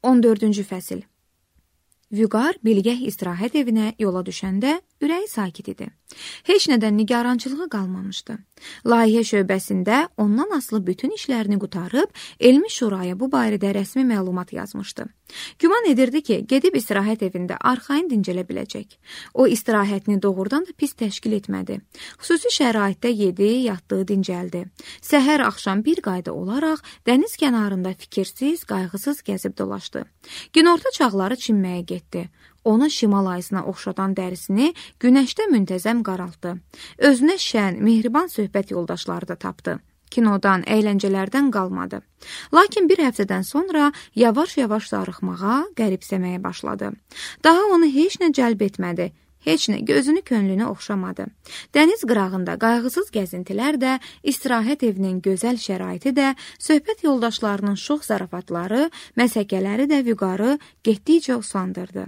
14-cü fəsil. Vüqar bilgəh istirahət evinə yola düşəndə ürəyi sakit idi. Heç nədən nigarançılığı qalmamışdı. Layihə şöbəsində ondan asılı bütün işlərini qutarıb, elmi şuraya bu barədə rəsmi məlumat yazmışdı. Güman edirdi ki, gedib istirahət evində arxayın dincələ biləcək. O, istirahətini doğrudan da pis təşkil etmədi. Xüsusi şəraitdə yedi, yatdı, dincəldi. Səhər axşam bir qayda olaraq dəniz kənarında fikirsiz, qayğısız gəzib dolaşdı. Günorta çağları çimməyə getdi. Ona şimal ayısına oxşadan dərisini günəşdə müntəzəm qaraltdı. Özünə şən, mehriban söhbət yoldaşları da tapdı. Kinodan, əyləncələrdən qalmadı. Lakin bir həftədən sonra yavaş-yavaş sarıxmağa, qəribsəməyə başladı. Daha onu heç nə cəlb etmədi. Heç nə gözünü könlünü oxşamadı. Dəniz qırağında qayğısız gəzintilər də, istirahət evinin gözəl şəraiti də, söhbət yoldaşlarının şox zarafatları, məsəkələri də Vüqarı getdikcə usandırdı.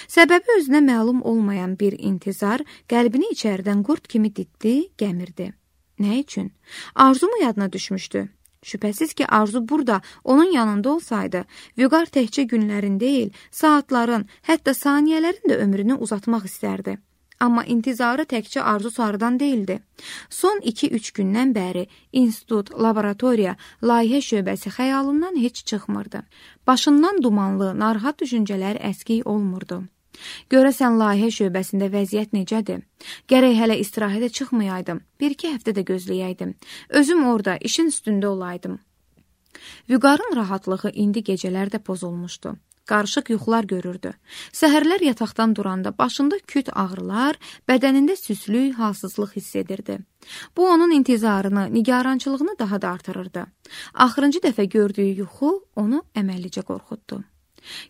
Səbəbi özünə məlum olmayan bir intizar qəlbini içəridən qurd kimi ditdi, gəmirdi. Nə üçün? Arzu mu yadına düşmüşdü? Şübhəsiz ki, Arzu burada, onun yanında olsaydı, Vüqar təkcə günlərin deyil, saatların, hətta saniyələrin də ömrünü uzatmaq istərdi. Amma intizarı təkcə Arzu sarıdan deyildi. Son 2-3 gündən bəri institut, laboratoriya, layihə şöbəsi xəyalından heç çıxmırdı. Başından dumanlı, narahat düşüncələr əskik olmurdu. Görəsən layihə şöbəsində vəziyyət necədir? Gərək hələ istirahətə çıxmayaydım, 1-2 həftə də gözləyəydim. Özüm orada, işin üstündə olaydım. Vüqarın rahatlığı indi gecələrdə pozulmuşdu. Qarışıq yuxular görürdü. Səhərlər yataqdan duranda başında küt ağrılar, bədənində süslük, halsızlıq hiss edirdi. Bu onun intizarını, nigarançılığını daha da artırırdı. Axırıncı dəfə gördüyü yuxu onu əməllicə qorxutdu.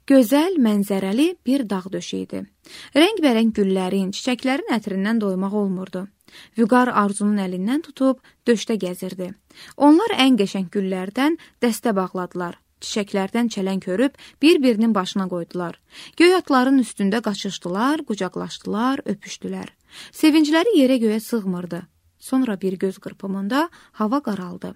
Gözəl, mənzərəli bir dağ döşü idi. Rəngbərəng güllərin, çiçəklərin ətrindən doymaq olmurdu. Vüqar Arzunun əlindən tutub döşdə gəzirdi. Onlar ən qəşəng güllərdən dəstə bağladılar. Çiçəklərdən çələng hörüb bir-birinin başına qoydular. Göy atların üstündə qaçışdılar, qucaqlaşdılar, öpüşdülər. Sevincləri yerə göyə sığmırdı. Sonra bir göz qırpımında hava qaraldı.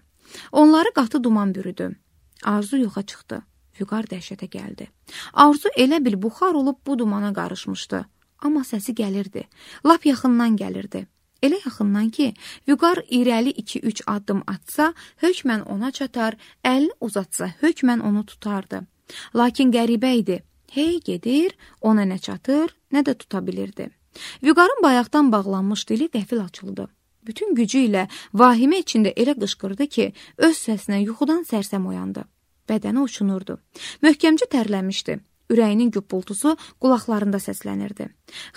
Onları qatı duman bürüdü. Arzu yoxa çıxdı. Vüqar dəhşətə gəldi. Arzu elə bil buxar olub bu dumana qarışmışdı. Amma səsi gəlirdi. Lap yaxından gəlirdi. Elə yaxından ki, Vüqar irəli 2-3 addım atsa, hökmən ona çatar, əlini uzatsa, hökmən onu tutardı. Lakin qəribə idi. Hey gedir, ona nə çatır, nə də tuta bilirdi. Vüqarın bayaqdan bağlanmış dili qəfil açıldı. Bütün gücü ilə vahimə içində elə qışqırdı ki, öz səsinə yuxudan sərsəm oyandı. Bədəni uçunurdu. Möhkəmcə tərləmişdi. Ürəyinin güppultusu qulaqlarında səslənirdi.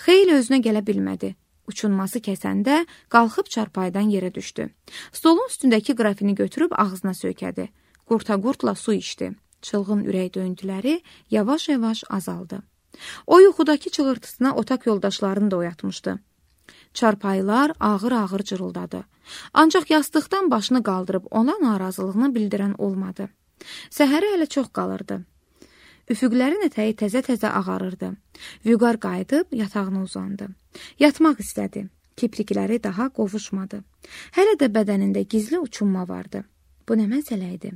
Xeyli özünə gələ bilmədi. Uçunması kəsəndə qalxıb çarpaydan yerə düşdü. Stolun üstündəki qrafini götürüb ağzına söykədi. Qurta-qurtla su içdi. Çılğın ürək döyüntüləri yavaş-yavaş azaldı. O yuxudakı çığırtısına otaq yoldaşlarını da oyatmışdı. Çarpayılar ağır-ağır cırıldadı. Ancaq yastıqdan başını qaldırıb ona narazılığını bildirən olmadı. Səhərə hələ çox qalırdı. Üfüqlərin ətəyi təzə-təzə ağarırdı. Vüqar qayıdıb yatağına uzandı. Yatmaq istədi. Kiprikləri daha qovuşmadı. Hələ də bədənində gizli uçunma vardı. Bu nə məsələ idi?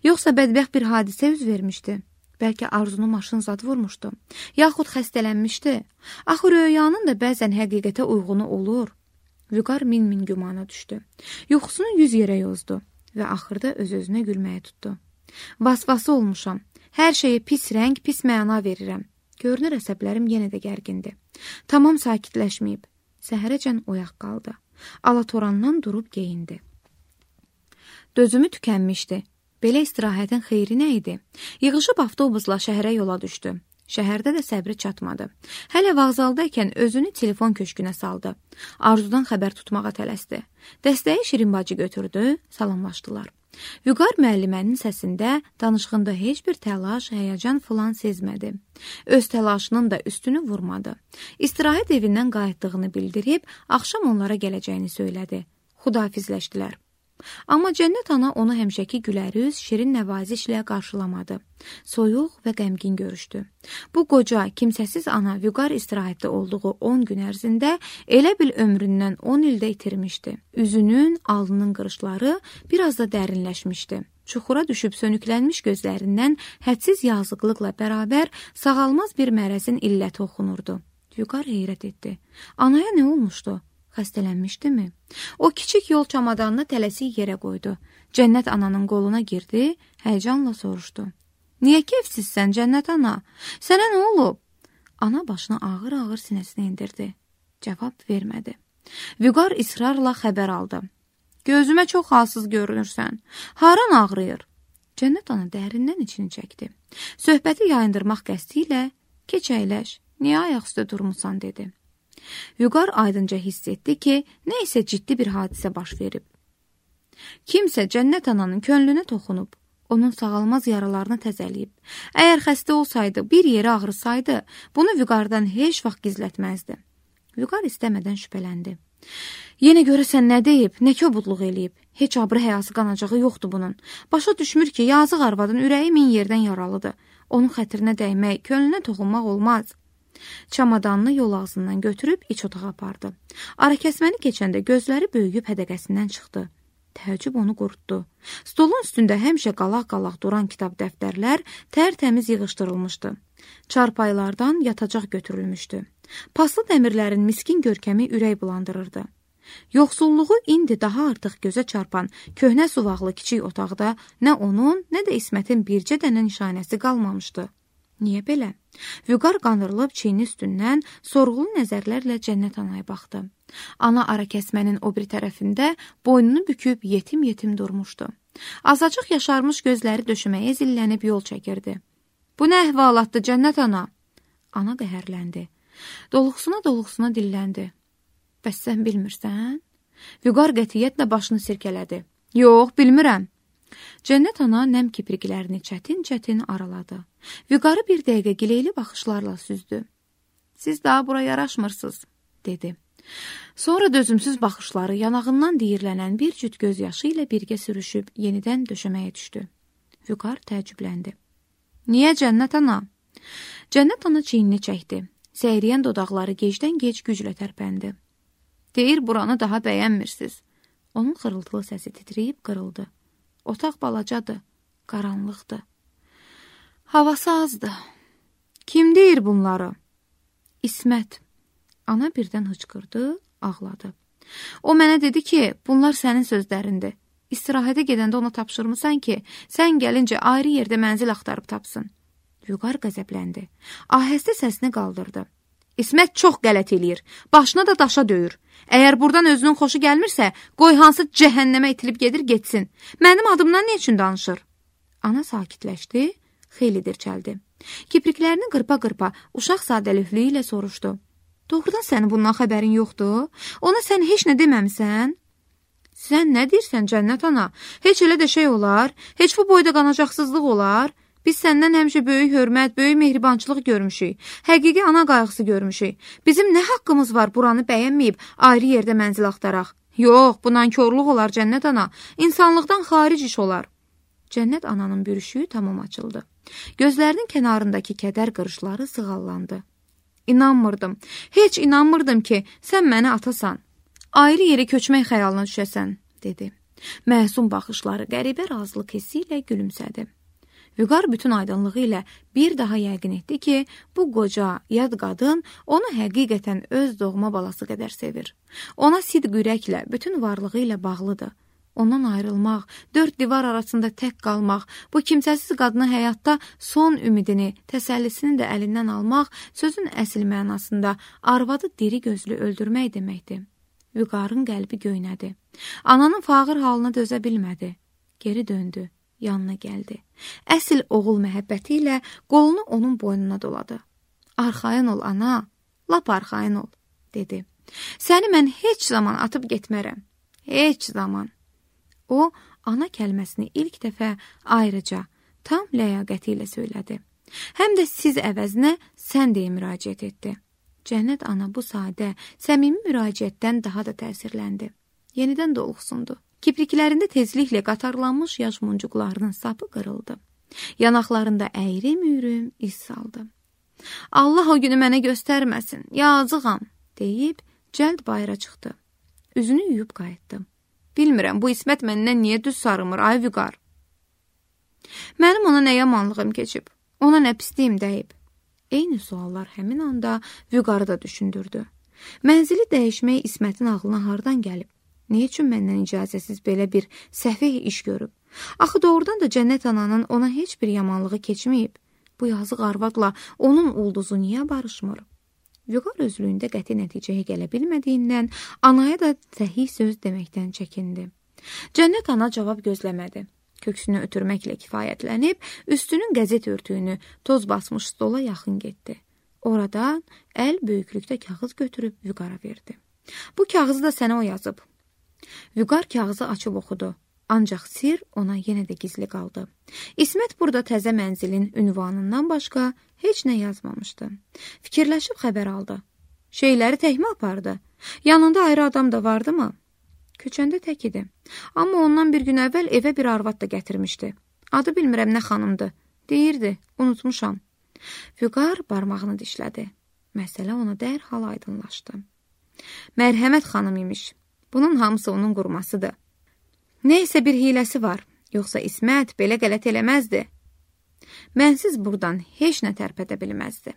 Yoxsa bədbəxt bir hadisə üz vermişdi? Bəlkə Arzunu maşın zad vurmuşdu. Yaxud xəstələnmişdi. Axı röyanın da bəzən həqiqətə uyğunu olur. Vüqar min-min gümana düşdü. Yuxusunu 100 yerə yozdu və axırda öz-özünə gülməyə tutdu. Vasvası olmuşam. Hər şeyə pis rəng, pis məna verirəm. Görünür əsəblərim yenə də gərgindir. Tamam sakitləşməyib. Səhərəcən oyaq qaldı. Alatorandan durub geyindi. Dözümü tükənmişdi. Belə istirahətin xeyri nə idi? Yığışıb avtobusla şəhərə yola düşdü. Şəhərdə də səbri çatmadı. Hələ vağzaldaykən özünü telefon köşkünə saldı. Arzudan xəbər tutmağa tələsdi. Dəstəyi Şirin bacı götürdü, salamlaşdılar. Vüqar müəllimənin səsində, danışığında heç bir təlaş, həyəcan filan sezmədi. Öz təlaşının da üstünü vurmadı. İstirahət evindən qayıtdığını bildirib, axşam onlara gələcəyini söylədi. Xudahafizləşdilər. Amma Cənnət ana onu həmişəki gülərüz, şirin nəvazişlə qarşılamadı. Soyuq və qəmgin görüşdü. Bu qoca, kimsəsiz ana Vüqar istirahətdə olduğu 10 gün ərzində elə bil ömründən 10 ildə itirmişdi. Üzünün, alnının qırışları biraz da dərinləşmişdi. Çuxura düşüb sönüklənmiş gözlərindən hədsiz yazıqlıqla bərabər sağalmaz bir mərəzin illəti oxunurdu. Vüqar heyrət etdi. Anaya nə olmuşdu? Xəstələnmişdimi? O kiçik yol çamadanını tələsik yerə qoydu. Cənnət ananın qoluna girdi, həyəcanla soruşdu. Niyə kefsizsən, Cənnət ana? Sənə nə olub? Ana başını ağır-ağır sinəsinə indirdi. Cavab vermədi. Vüqar israrla xəbər aldı. Gözümə çox halsız görünürsən. Haran ağrıyır? Cənnət ana dərindən içini çəkdi. Söhbəti yayındırmaq qəsdi ilə keç əyləş, niyə ayaq üstə durmusan, dedi. Vüqar aydınca hiss etdi ki, nə isə ciddi bir hadisə baş verib. Kimsə Cənnət ananın könlünə toxunub, onun sağalmaz yaralarını təzəliyib. Əgər xəstə olsaydı, bir yeri ağrısaydı, bunu Vüqardan heç vaxt gizlətməzdi. Vüqar istəmədən şübhələndi. Yenə görəsən nə deyib, nə kobudluq eləyib. Heç abrı həyası qanacağı yoxdur bunun. Başa düşmür ki, yazıq arvadın ürəyi min yerdən yaralıdır. Onun xətrinə dəymək, könlünə toxunmaq olmaz. Çamadanını yol ağzından götürüb iç otağa apardı. Arakəsməni keçəndə gözləri böyüyüb hədəqəsindən çıxdı. Təəccüb onu qurutdu. Stolun üstündə həmişə qalaq-qalaq duran kitab dəftərlər tərtəmiz yığışdırılmışdı. Çarpaylardan yatacaq götürülmüşdü. Paslı dəmirlərin miskin görkəmi ürək bulandırırdı. Yoxsulluğu indi daha artıq gözə çarpan köhnə suvaqlı kiçik otaqda nə onun, nə də İsmətin bircə dənə nişanəsi qalmamışdı. Niyə belə? Vüqar qandırılıb çiyni üstündən sorğulu nəzərlərlə Cənnət anaya baxdı. Ana arakəsmənin o biri tərəfində boynunu büküb yetim-yetim durmuşdu. Azacıq yaşarmış gözləri döşəməyə zillənib yol çəkirdi. Bu nə əhvalatdır, Cənnət ana? Ana qəhərləndi. Doluqsuna dilləndi. Bəs sən bilmirsən? Vüqar qətiyyətlə başını sirkələdi. Yox, bilmirəm. Cənnət ana nəm kipriklərini çətin-çətin araladı. Vüqarı bir dəqiqə gileyli baxışlarla süzdü. Siz daha bura yaraşmırsınız, dedi. Sonra dözümsüz baxışları yanağından diyirlənən bir cüt göz yaşı ilə birgə sürüşüb yenidən döşəməyə düşdü. Vüqar təəccübləndi. Niyə Cənnət ana? Cənnət ana çiynini çəkdi. Səyriyən dodaqları gecdən-gec güclə tərpəndi. Deyir, buranı daha bəyənmirsiniz. Onun xırıltılı səsi titrəyib qırıldı. Otaq balacadır, qaranlıqdır. Havası azdır. Kim deyir bunları? İsmət. Ana birdən hıçqırdı, ağladı. O mənə dedi ki, bunlar sənin sözlərindir. İstirahətə gedəndə ona tapşırmısan ki, sən gəlincə ayrı yerdə mənzil axtarıb tapsın. Vüqar qəzəbləndi. Ahəstə səsini qaldırdı. İsmət çox qələt eləyir. Başına da daşa döyür. Əgər buradan özünün xoşu gəlmirsə, qoy hansı cəhənnəmə itilib gedir, getsin. Mənim adımdan nə üçün danışır? Ana sakitləşdi, xeyli dirçəldi. Kipriklərini qırpa-qırpa uşaq sadəlövlüyü ilə soruşdu. Doğrudan sənin bundan xəbərin yoxdur? Ona sən heç nə deməmisən? Sən nə deyirsən, Cənnət ana? Heç elə də şey olar? Heç bu boyda qanacaqsızlıq olar? Biz səndən həmişə böyük hörmət, böyük mehribançılıq görmüşük. Həqiqi ana qayğısı görmüşük. Bizim nə haqqımız var buranı bəyənməyib ayrı yerdə mənzil axtaraq? Yox, bu nankorluq olar, Cənnət ana. İnsanlıqdan xaric iş olar. Cənnət ananın bürüşüyü tamam açıldı. Gözlərinin kənarındakı kədər qırışları sığallandı. İnanmırdım. Heç inanmırdım ki, sən məni atasan. Ayrı yerə köçmək xəyalına düşəsən, dedi. Məsum baxışları qəribə razılıq hissi ilə gülümsədi. Vüqar bütün aydınlığı ilə bir daha yəqin etdi ki, bu qoca, yad qadın onu həqiqətən öz doğma balası qədər sevir. Ona sidq ürəklə, bütün varlığı ilə bağlıdır. Ondan ayrılmaq, dörd divar arasında tək qalmaq, bu kimsəsiz qadının həyatda son ümidini, təsəllisini də əlindən almaq, sözün əsl mənasında arvadı diri gözlü öldürmək deməkdir. Vüqarın qəlbi göynədi. Ananın fağır halına dözə bilmədi. Geri döndü. Yanına gəldi. Əsl oğul məhəbbəti ilə qolunu onun boynuna doladı. Arxayın ol, ana, lap arxayın ol, dedi. Səni mən heç zaman atıb getmərəm. Heç zaman. O, ana kəlməsini ilk dəfə ayrıca, tam ləyaqəti ilə söylədi. Həm də siz əvəzinə sən deyə müraciət etdi. Cənnət ana bu sadə, səmimi müraciətdən daha da təsirləndi. Yenidən doluxsundu. Kipriklərində tezliklə qatarlanmış yaş muncuqlarının sapı qırıldı. Yanaqlarında əyri-müyrüm iz saldı. Allah o günü mənə göstərməsin, yazığam, deyib cəld bayıra çıxdı. Üzünü yuyub qayıtdı. Bilmirəm, bu İsmət məndən niyə düz sarımır, ay Vüqar? Mənim ona nə yamanlığım keçib, ona nə pisliyim dəyib. Eyni suallar həmin anda Vüqarı da düşündürdü. Mənzili dəyişmək İsmətin ağlına hardan gəlib? Nə üçün məndən icazəsiz belə bir səfih iş görüb? Axı doğrudan da Cənnət ananın ona heç bir yamanlığı keçməyib. Bu yazıq arvadla onun ulduzu niyə barışmır? Vüqar özlüyündə qəti nəticəyə gələ bilmədiyindən anaya da səhih söz deməkdən çəkindi. Cənnət ana cavab gözləmədi. Köksünü ötürməklə kifayətlənib, üstünün qəzet örtüyünü toz basmış stola yaxın getdi. Oradan əl böyüklükdə kağız götürüb Vüqara verdi. Bu kağızı da sənə o yazıb. Vüqar kağızı açıb oxudu. Ancaq sir ona yenə də gizli qaldı. İsmət burada təzə mənzilin ünvanından başqa heç nə yazmamışdı. Fikirləşib xəbər aldı. Şeyləri təkmə apardı. Yanında ayrı adam da vardı mı? Köçəndə tək idi. Amma ondan bir gün əvvəl evə bir arvad da gətirmişdi. Adı bilmirəm nə xanımdı. Deyirdi, unutmuşam. Vüqar barmağını dişlədi. Məsələ ona dərhal aydınlaşdı. Mərhəmət xanım imiş. Bunun hamısı onun qurmasıdır. Neysə bir hiləsi var. Yoxsa İsmət belə qələt eləməzdi. Mənsiz buradan heç nə tərpədə bilməzdi.